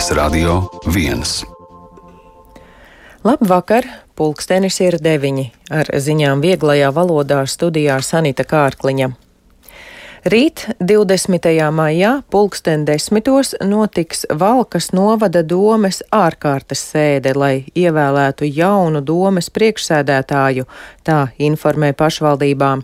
Latvijas Radio 1. Labvakar! Pulkstenis ir 9. Ar ziņām vieglajā valodā studijā Sanita Kārkliņa. Rīt, 20. maijā, pulksten 10. notiks Valkas novada domes ārkārtas sēde, lai ievēlētu jaunu domes priekšsēdētāju, tā informē pašvaldībām.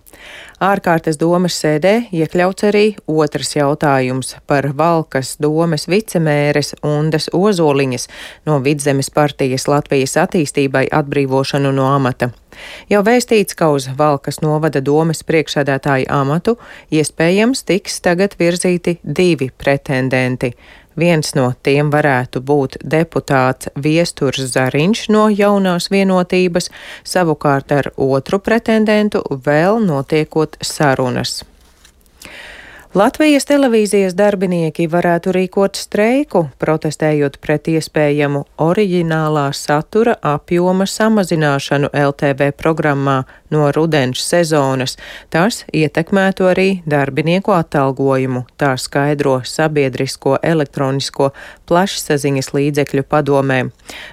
Ārkārtas domes sēdē iekļauts arī otrs jautājums par Valkas domes vicemēres Undes Ozoliņas no Vidzemes partijas Latvijas attīstībai atbrīvošanu no amata. Jau vēstīts, ka uz Valkas novada domes priekšsēdētāju amatu iespējams tiks tagad virzīti 2 pretendenti. Viens no tiem varētu būt deputāts Viesturs Zariņš no Jaunās vienotības, savukārt ar otru pretendentu vēl notiekot sarunas. Latvijas televīzijas darbinieki varētu rīkot streiku, protestējot pret iespējamu oriģinālā satura apjoma samazināšanu LTV programmā no rudens sezonas. Tas ietekmētu arī darbinieku atalgojumu, tā skaidro Sabiedrisko elektronisko plašsaziņas līdzekļu padomē.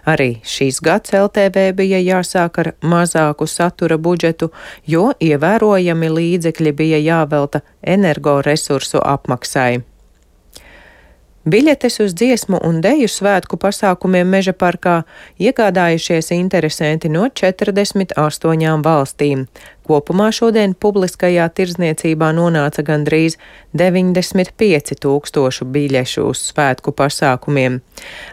Arī šīs gads LTV bija jāsāk ar mazāku satura budžetu, jo ievērojami līdzekļi bija jāvelta energoresursu apmaksai. Biļetes uz dziesmu un deju svētku pasākumiem Meža parkā iegādājušies interesanti no 48 valstīm. Kopumā šodien publiskajā tirdzniecībā nonāca gandrīz 95 000 biļešu uz svētku pasākumiem.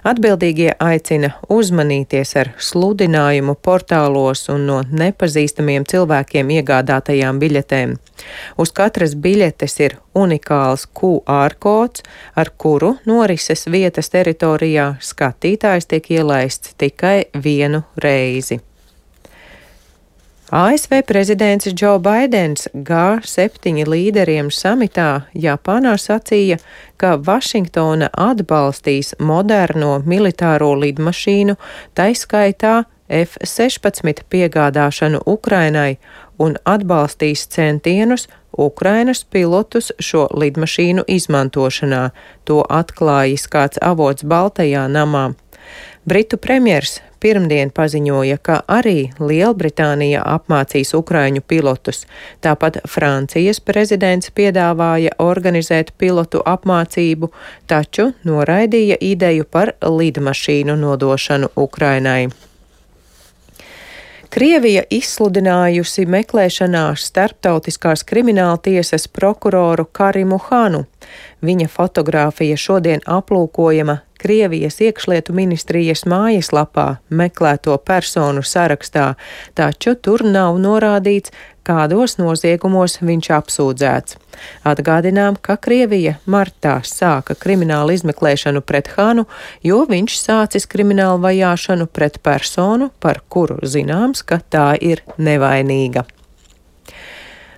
Atbildīgie aicina uzmanīties ar sludinājumu portālos un no nepazīstamiem cilvēkiem iegādātajām biļetēm. Uz katras biļetes ir unikāls QR kods, ar kuru norises vietas teritorijā skatītājs tiek ielaists tikai vienu reizi. ASV prezidents Džo Baidens G7 līderiem samitā Japānā sacīja, ka Vašingtona atbalstīs moderno militāro lidmašīnu, taiskaitā F-16 piegādāšanu Ukrainai un atbalstīs centienus Ukrainas pilotus šo lidmašīnu izmantošanā. To atklājis kāds avots Baltajā namā. Britu premjers pirmdien paziņoja, ka arī Lielbritānija apmācīs ukraiņu pilotus. Tāpat Francijas prezidents piedāvāja organizēt pilotu apmācību, taču noraidīja ideju par lidmašīnu nodošanu Ukrainai. Krievija izsludinājusi meklēšanā starptautiskās krimināltiesas prokuroru Karimu Hanu. Viņa fotogrāfija šodien aplūkojama Krievijas iekšlietu ministrijas mājaslapā meklēto personu sarakstā, taču tur nav norādīts, kādos noziegumos viņš apsūdzēts. Atgādinām, ka Krievija martā sāka kriminālu izmeklēšanu pret Hanu, jo viņš sācis kriminālu vajāšanu pret personu, par kuru zināms, ka tā ir nevainīga.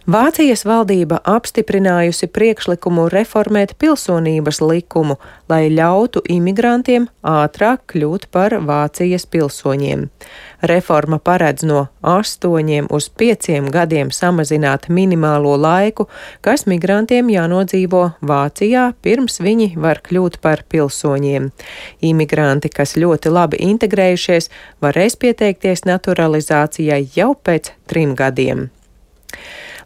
Vācijas valdība apstiprinājusi priekšlikumu reformēt pilsonības likumu, lai ļautu imigrantiem ātrāk kļūt par Vācijas pilsoņiem. Reforma paredz no 8 uz 5 gadiem samazināt minimālo laiku, kas migrantiem jānodzīvo Vācijā, pirms viņi var kļūt par pilsoņiem. Imigranti, kas ļoti labi integrējušies, varēs pieteikties naturalizācijai jau pēc 3 gadiem.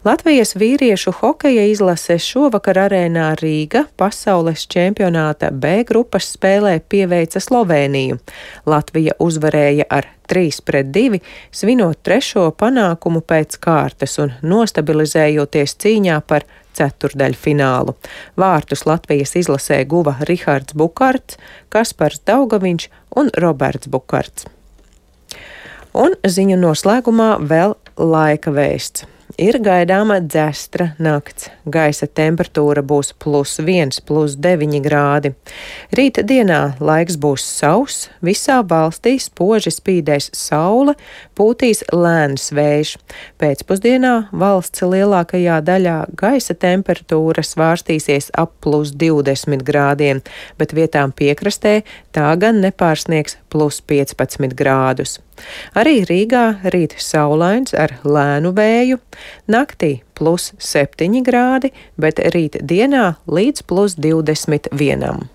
Latvijas vīriešu hokeja izlase šovakar arēnā Rīga pasaules čempionāta B grupas spēlē pieveica Slovēniju. Latvija uzvarēja ar 3-2, svinot 3. panākumu pēc kārtas un nostabilizējoties cīņā par ceturdaļfinālu. Vārtus Latvijas izlasē guva Rihards Bukarts, Kaspars Daugaviņš un Roberts Bukarts. Un ziņu noslēgumā vēl laika vēsts. Ir gaidāma dzestra nakts. Gaisa temperatūra būs +1, +9 grādi. Rīta dienā laiks būs sauss, visā valstī spoži spīdēs saule, pūtīs lēns vējš. Pēcpusdienā valsts lielākajā daļā gaisa temperatūra svārstīsies ap +20 grādiem, bet vietām piekrastē tā gan nepārsniegs +15 grādus. Arī Rīgā rīt saulains ar lēnu vēju, naktī +7 grādi, bet rīt dienā līdz +21.